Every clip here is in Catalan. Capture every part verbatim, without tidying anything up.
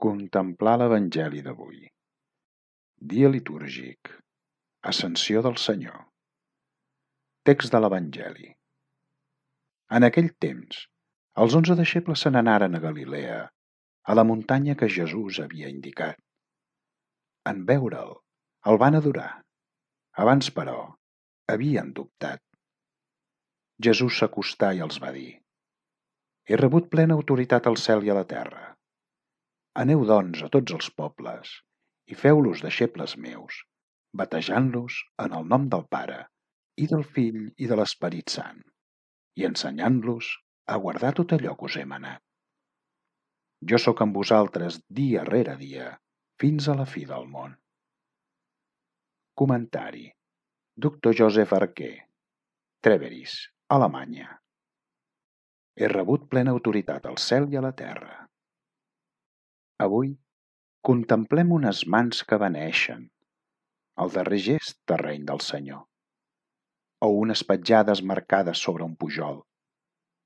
Contemplar l'Evangeli d'avui. Dia litúrgic. Ascensió del Senyor. Text de l'Evangeli. En aquell temps, els onze deixebles se n'anaren a Galilea, a la muntanya que Jesús havia indicat. En veure'l, el van adorar. Abans, però, havien dubtat. Jesús s'acostà i els va dir: He rebut plena autoritat al cel i a la terra. Aneu, doncs, a tots els pobles i feu-los deixebles meus, batejant-los en el nom del Pare i del Fill i de l'Esperit Sant, i ensenyant-los a guardar tot allò que us he manat. Jo sóc amb vosaltres dia rere dia, fins a la fi del món. Comentari. Doctor Joseph Arquer, Treveris, Alemanya. He rebut plena autoritat al cel i a la terra. Avui contemplem unes mans que beneixen, el darrer gest terreny del Senyor, o unes petjades marcades sobre un pujol,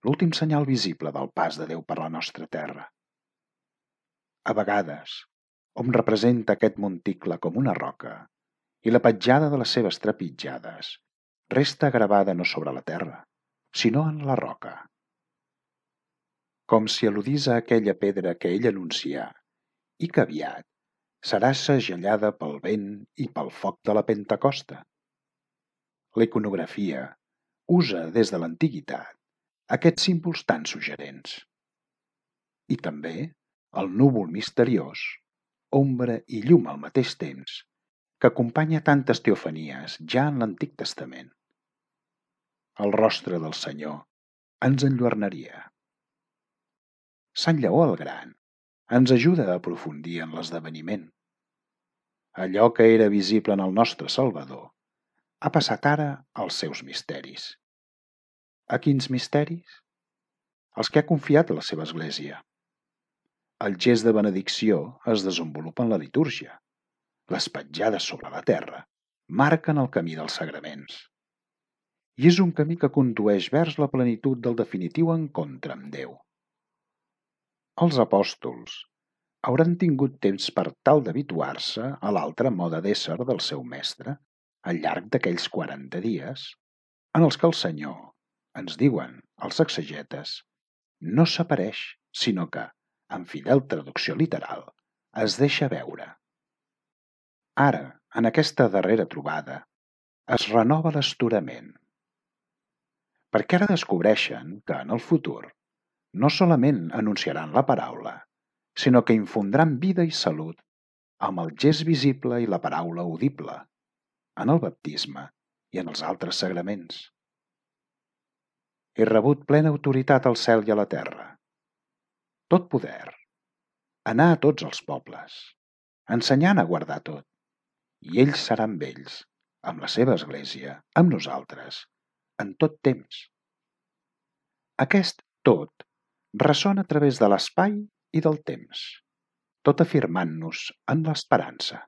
l'últim senyal visible del pas de Déu per la nostra terra. A vegades, hom representa aquest monticle com una roca i la petjada de les seves trepitjades resta gravada no sobre la terra, sinó en la roca. Com si al·ludís a aquella pedra que ell anuncià i que aviat serà segellada pel vent i pel foc de la Pentecosta. La iconografia usa des de l'antiguitat aquests símbols tan suggerents. I també el núvol misteriós, ombra i llum al mateix temps, que acompanya tantes teofanies ja en l'Antic Testament. El rostre del Senyor ens enlluernaria. Sant Lleó el Gran ens ajuda a aprofundir en l'esdeveniment. Allò que era visible en el nostre Salvador ha passat ara als seus misteris. A quins misteris? Els que ha confiat a la seva Església. El gest de benedicció es desenvolupa en la litúrgia. Les petjades sobre la terra marquen el camí dels sagraments. I és un camí que condueix vers la plenitud del definitiu encontre amb Déu. Els apòstols hauran tingut temps per tal d'habituar-se a l'altre mode d'ésser del seu mestre al llarg d'aquells quaranta dies, en els que el Senyor, ens diuen els exegetes, no s'apareix, sinó que, en fidel traducció literal, es deixa veure. Ara, en aquesta darrera trobada, es renova l'estorament. Perquè ara descobreixen que, en el futur, no solament anunciaran la paraula, sinó que infondran vida i salut amb el gest visible i la paraula audible, en el baptisme i en els altres sagraments. He rebut plena autoritat al cel i a la terra. Tot poder. Anar a tots els pobles, ensenyant a guardar tot, i ells seran amb ells, amb la seva Església, amb nosaltres, en tot temps. Aquest tot ressona a través de l'espai i del temps, tot afirmant-nos en l'esperança.